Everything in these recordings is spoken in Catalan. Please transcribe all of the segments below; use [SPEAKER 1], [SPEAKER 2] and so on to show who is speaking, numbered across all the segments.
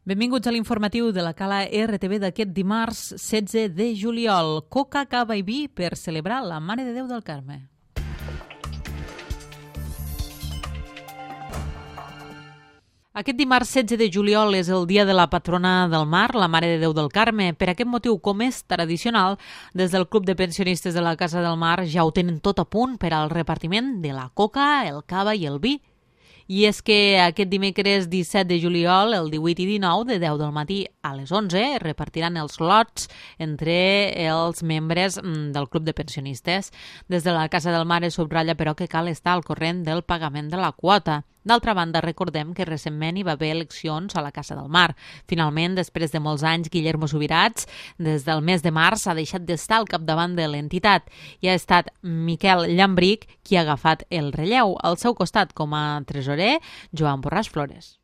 [SPEAKER 1] Benvinguts a l'informatiu de la Cala RTV d'aquest dimarts 16 de juliol. Coca, cava i vi per celebrar la Mare de Déu del Carme. Aquest dimarts 16 de juliol és el dia de la patrona del mar, la Mare de Déu del Carme. Per aquest motiu, com és tradicional, des del Club de Pensionistes de la Casa del Mar ja ho tenen tot a punt per al repartiment de la coca, el cava i el vi. I és que aquest dimecres 17 de juliol, el 18 i 19, de 10 del matí a les 11, repartiran els lots entre els membres del Club de Pensionistes. Des de la Casa del Mar es subratlla, però, que cal estar al corrent del pagament de la quota. D'altra banda, recordem que recentment hi va haver eleccions a la Casa del Mar. Finalment, després de molts anys, Guillermo Subirats, des del mes de març, ha deixat d'estar al capdavant de l'entitat i ha estat Miquel Llambric qui ha agafat el relleu. Al seu costat, com a tresorer, Joan Borràs Flores.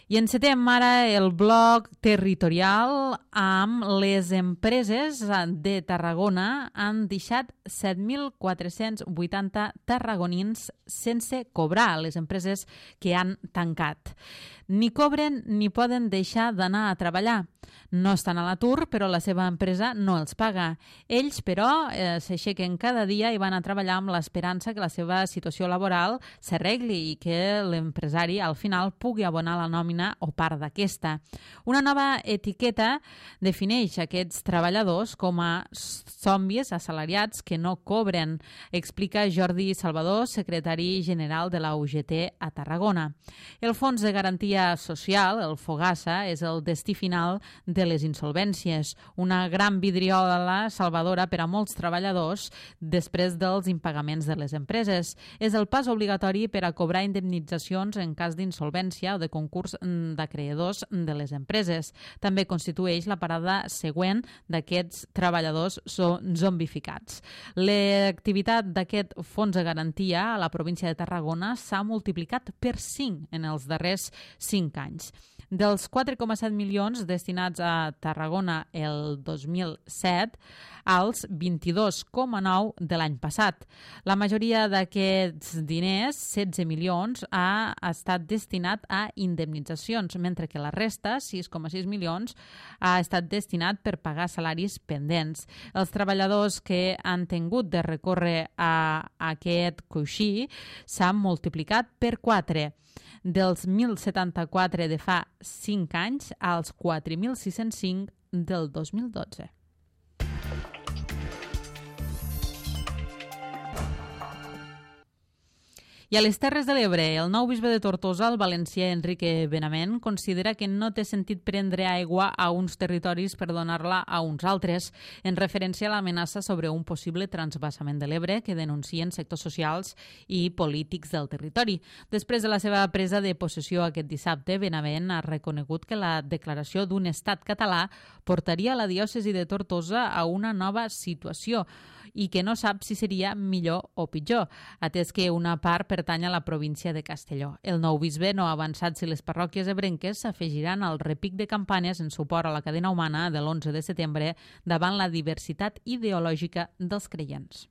[SPEAKER 1] I encetem ara el bloc territorial amb les empreses de Tarragona. Han deixat 7.480 tarragonins sense cobrar, les empreses que han tancat. Ni cobren ni poden deixar d'anar a treballar. No estan a l'atur, però la seva empresa no els paga. Ells, però, s'aixequen cada dia i van a treballar amb l'esperança que la seva situació laboral s'arregli i que l'empresari al final pugui abonar la nòmina o part d'aquesta. Una nova etiqueta defineix aquests treballadors com a zombis assalariats que no cobren, explica Jordi Salvador, secretari general de la UGT a Tarragona. El Fons de Garantia Social, el FOGASA, és el destí final de les insolvències, una gran vidriola salvadora per a molts treballadors després dels impagaments de les empreses. És el pas obligatori per a cobrar indemnitzacions en cas d'insolvència o de concurs d'acreedors de les empreses. També constitueix la parada següent d'aquests treballadors zombificats. L'activitat d'aquest fons de garantia a la província de Tarragona s'ha multiplicat per 5 en els darrers 5 anys. Dels 4,7 milions destinats a Tarragona el 2007 als 22,9 de l'any passat. La majoria d'aquests diners, 16 milions, ha estat destinat a indemnitzacions, mentre que la resta, 6,6 milions, ha estat destinat per pagar salaris pendents. Els treballadors que han tingut de recórrer a aquest coixí s'han multiplicat per 4. Dels 1.074 de fa 5 anys als 4.605 del 2012. I a les Terres de l'Ebre, el nou bisbe de Tortosa, el valencià Enrique Benavent, considera que no té sentit prendre aigua a uns territoris per donar-la a uns altres, en referència a l'amenaça sobre un possible transvasament de l'Ebre que denuncien sectors socials i polítics del territori. Després de la seva presa de possessió aquest dissabte, Benavent ha reconegut que la declaració d'un estat català portaria la diòcesi de Tortosa a una nova situació i que no sap si seria millor o pitjor, atès que una part pertany a la província de Castelló. El nou bisbe no ha avançat si les parròquies ebrenques s'afegiran al repic de campanes en suport a la cadena humana de l'11 de setembre davant la diversitat ideològica dels creients.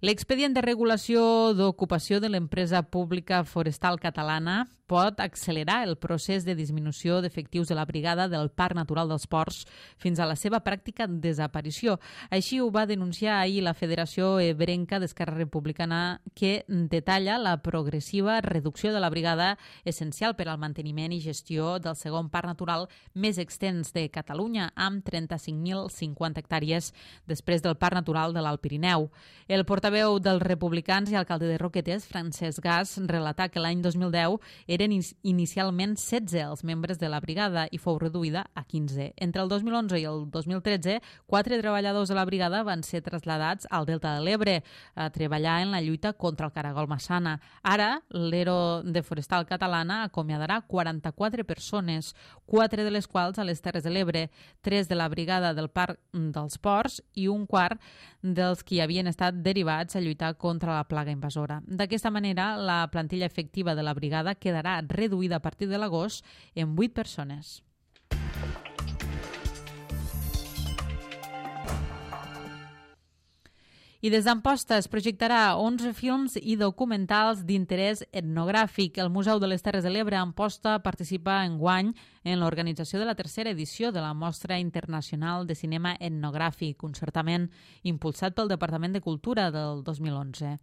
[SPEAKER 1] L'expedient de regulació d'ocupació de l'empresa pública forestal catalana pot accelerar el procés de disminució d'efectius de la brigada del Parc Natural dels Ports fins a la seva pràctica desaparició. Així ho va denunciar ahir la Federació Ebrenca d'Esquerra Republicana, que detalla la progressiva reducció de la brigada essencial per al manteniment i gestió del segon parc natural més extens de Catalunya, amb 35.050 hectàrees després del Parc Natural de l'Alt Pirineu. El portaveu dels republicans i alcalde de Roquetes, Francesc Gas, relatà que l'any 2010 eren inicialment 16 els membres de la brigada i fou reduïda a 15. Entre el 2011 i el 2013, 4 treballadors de la brigada van ser traslladats al Delta de l'Ebre a treballar en la lluita contra el caragol massana. Ara, l'Ero de Forestal Catalana acomiadarà 44 persones, 4 de les quals a les Terres de l'Ebre, 3 de la brigada del Parc dels Ports i un quart dels qui havien estat derivats a lluitar contra la plaga invasora. D'aquesta manera, la plantilla efectiva de la brigada quedarà reduïda a partir de l'agost en 8 persones. I des d'Amposta es projectarà 11 films i documentals d'interès etnogràfic. El Museu de les Terres de l'Ebre a Amposta participa enguany en l'organització de la tercera edició de la Mostra Internacional de Cinema Etnogràfic, un certament impulsat pel Departament de Cultura del 2011.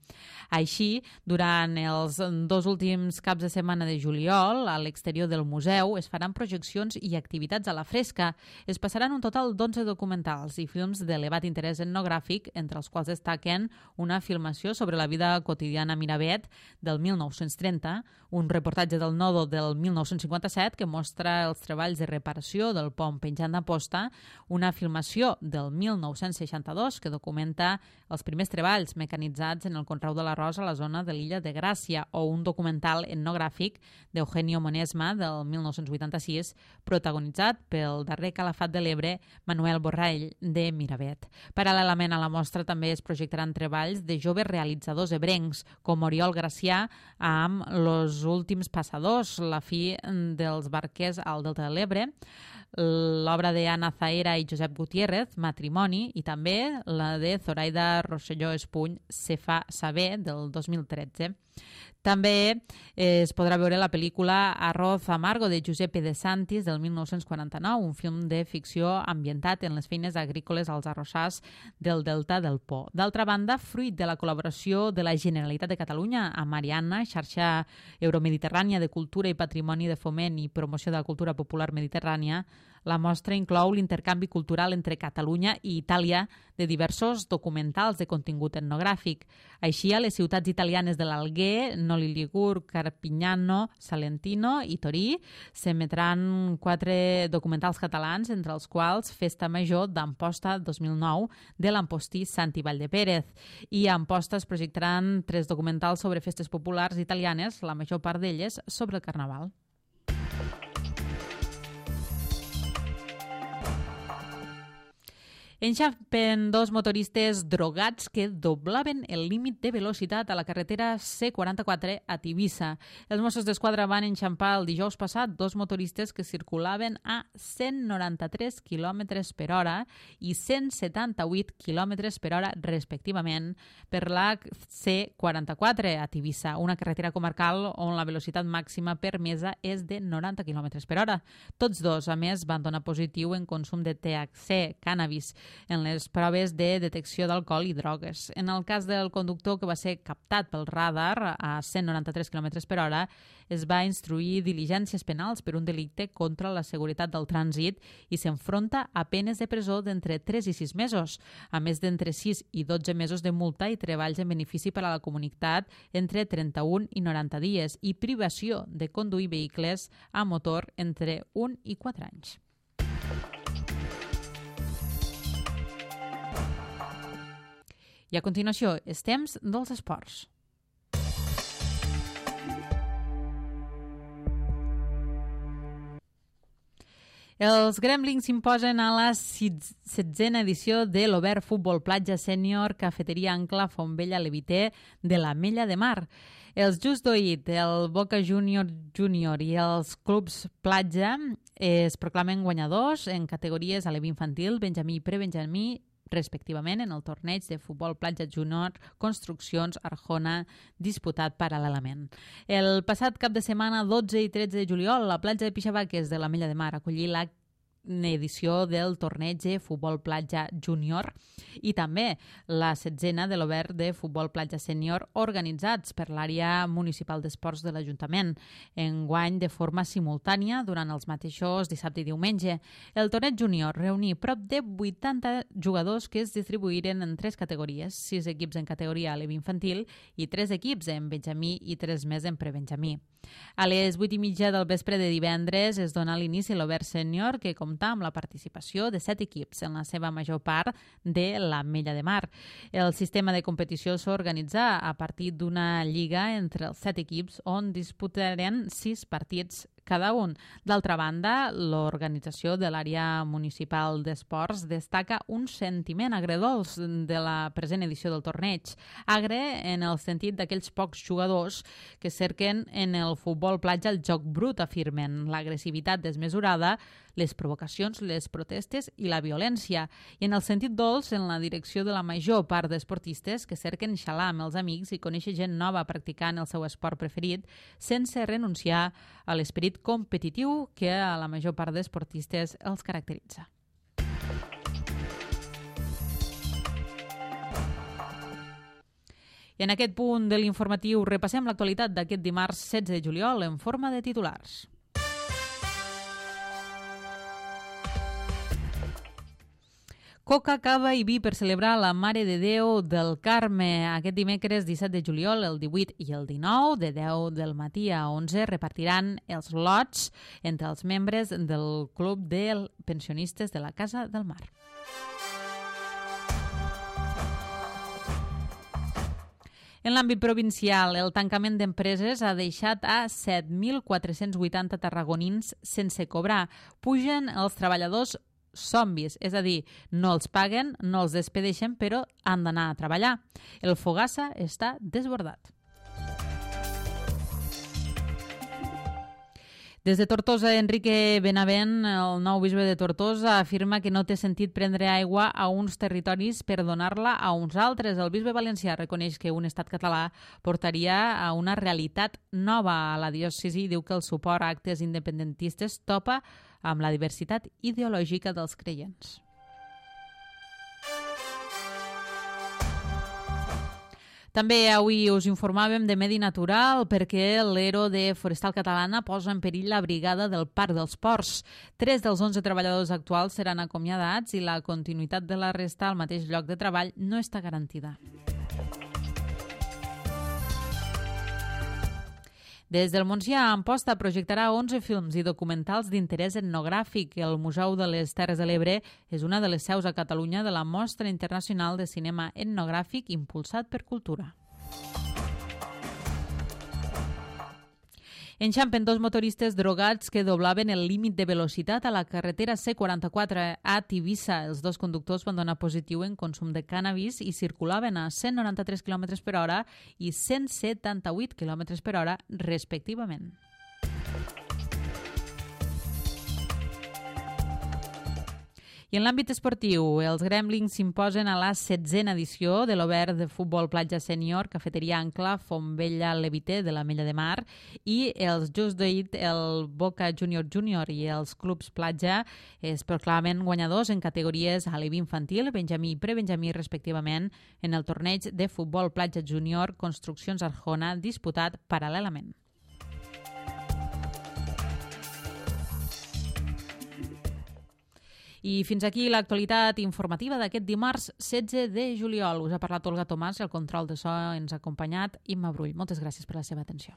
[SPEAKER 1] Així, durant els 2 últims caps de setmana de juliol, a l'exterior del museu es faran projeccions i activitats a la fresca. Es passaran un total d'11 documentals i films d'elevat interès etnogràfic, entre els quals destaquen una filmació sobre la vida quotidiana a Miravet del 1930, un reportatge del Nodo del 1957 que mostra els treballs de reparació del pont penjant d'Amposta, una filmació del 1962 que documenta els primers treballs mecanitzats en el conreu de l'arròs a la zona de l'illa de Gràcia, o un documental etnogràfic d'Eugenio Monesma del 1986 protagonitzat pel darrer calafat de l'Ebre, Manuel Borrell, de Miravet. Paral·lelament a la mostra també es projectaran treballs de joves realitzadors ebrencs, com Oriol Gracià amb Los últims passadors, la fi dels barquers al Delta de l'Ebre, l'obra d'Anna Zaera i Josep Gutiérrez, Matrimoni, i també la de Zoraida Rosselló Espuny, Se fa saber, del 2013. També es podrà veure la pel·lícula Arroz Amargo de Giuseppe De Santis del 1949, un film de ficció ambientat en les feines agrícoles als arrossars del Delta del Po. D'altra banda, fruit de la col·laboració de la Generalitat de Catalunya amb Marianna, xarxa euromediterrània de cultura i patrimoni de foment i promoció de la cultura popular mediterrània, la mostra inclou l'intercanvi cultural entre Catalunya i Itàlia de diversos documentals de contingut etnogràfic. Així, a les ciutats italianes de l'Alguer, Noli Ligur, Carpignano, Salentino i Torí s'emetran 4 documentals catalans, entre els quals Festa Major d'Amposta 2009 de l'ampostí Santi Valldepérez. I a Amposta es projectaran 3 documentals sobre festes populars italianes, la major part d'elles sobre el Carnaval. Enxampen 2 motoristes drogats que doblaven el límit de velocitat a la carretera C44 a Tivissa. Els Mossos d'Esquadra van enxampar el dijous passat 2 motoristes que circulaven a 193 km per hora i 178 km per hora respectivament per la C44 a Tivissa, una carretera comarcal on la velocitat màxima permesa és de 90 km per hora. Tots 2, a més, van donar positiu en consum de THC, cànnabis, en les proves de detecció d'alcohol i drogues. En el cas del conductor que va ser captat pel radar a 193 km per hora, es va instruir diligències penals per un delicte contra la seguretat del trànsit i s'enfronta a penes de presó d'entre 3 i 6 mesos, a més d'entre 6 i 12 mesos de multa i treballs en benefici per a la comunitat entre 31 i 90 dies i privació de conduir vehicles a motor entre 1 i 4 anys. I a continuació, és temps dels esports. Els Gremlins s'imposen a la 16a edició de l'Obert Futbol Platja Sènior Cafeteria Ancla Fontvella Leviter de l'Ametlla de Mar. Els Just Do It, el Boca Junior i els clubs Platja es proclamen guanyadors en categories alevi infantil, benjamí i prebenjamí, respectivament, en el torneig de futbol platja júnior Construccions Arjona disputat paral·lelament. El passat cap de setmana, 12 i 13 de juliol, la platja de Pixavaques de l'Ametlla de Mar acollí la edició del torneig de futbol platja júnior i també la 16a de l'Obert de futbol platja sènior organitzats per l'àrea municipal d'esports de l'Ajuntament, enguany de forma simultània durant els mateixos dissabte i diumenge. El torneig júnior reuní prop de 80 jugadors que es distribuïren en 3 categories, 6 equips en categoria alevi infantil i 3 equips en benjamí i 3 més en prebenjamí. A les 8:30 del vespre de divendres es dona l'inici a l'Obert Sènior, que compta amb la participació de 7 equips, en la seva major part de l'Ametlla de Mar. El sistema de competició s'organitza a partir d'una lliga entre els 7 equips on disputaren 6 partits cada un. D'altra banda, l'organització de l'àrea municipal d'esports destaca un sentiment agredolç de la present edició del torneig. Agre en el sentit d'aquells pocs jugadors que cerquen en el futbol platja el joc brut, afirmen, l'agressivitat desmesurada, les provocacions, les protestes i la violència. I en el sentit dolç, en la direcció de la major part d'esportistes que cerquen xalar amb els amics i conèixer gent nova practicant el seu esport preferit sense renunciar a l'esperit competitiu que a la major part d'esportistes els caracteritza. I en aquest punt de l'informatiu repassem l'actualitat d'aquest dimarts 16 de juliol en forma de titulars. Coca, cava i vi per celebrar la Mare de Déu del Carme. Aquest dimecres 17 de juliol, el 18 i el 19, de 10 del matí a 11, repartiran els lots entre els membres del Club de Pensionistes de la Casa del Mar. En l'àmbit provincial, el tancament d'empreses ha deixat a 7.480 tarragonins sense cobrar. Pugen els treballadors zombis, és a dir, no els paguen, no els despedeixen, però han d'anar a treballar. El Fogassa està desbordat. Des de Tortosa, Enrique Benavent, el nou bisbe de Tortosa, afirma que no té sentit prendre aigua a uns territoris per donar-la a uns altres. El bisbe valencià reconeix que un estat català portaria a una realitat nova a la diòcesi i diu que el suport a actes independentistes topa amb la diversitat ideològica dels creients. També avui us informàvem de Medi Natural perquè l'ERO de Forestal Catalana posa en perill la brigada del Parc dels Ports. 3 dels 11 treballadors actuals seran acomiadats i la continuïtat de la resta al mateix lloc de treball no està garantida. Des del Montsià, Amposta projectarà 11 films i documentals d'interès etnogràfic. El Museu de les Terres de l'Ebre és una de les seus a Catalunya de la Mostra Internacional de Cinema Etnogràfic impulsat per Cultura. Enxampen 2 motoristes drogats que doblaven el límit de velocitat a la carretera C44 a Tivissa. Els 2 conductors van donar positiu en consum de cànnabis i circulaven a 193 km per hora i 178 km per hora, respectivament. I en l'àmbit esportiu, els Gremlins s'imposen a la 16a edició de l'Obert de Futbol Platja Sènior, Cafeteria Ancla, Fontvella Levité de l'Ametlla de Mar, i els Just Do It, el Boca Junior Junior i els Clubs Platja es proclamen guanyadors en categories aleví infantil, benjamí i prebenjamí respectivament en el torneig de Futbol Platja Junior Construccions Arjona disputat paral·lelament. I fins aquí l'actualitat informativa d'aquest dimarts 16 de juliol. Us ha parlat Olga Tomàs i el control de so ens ha acompanyat Imma Brull. Moltes gràcies per la seva atenció.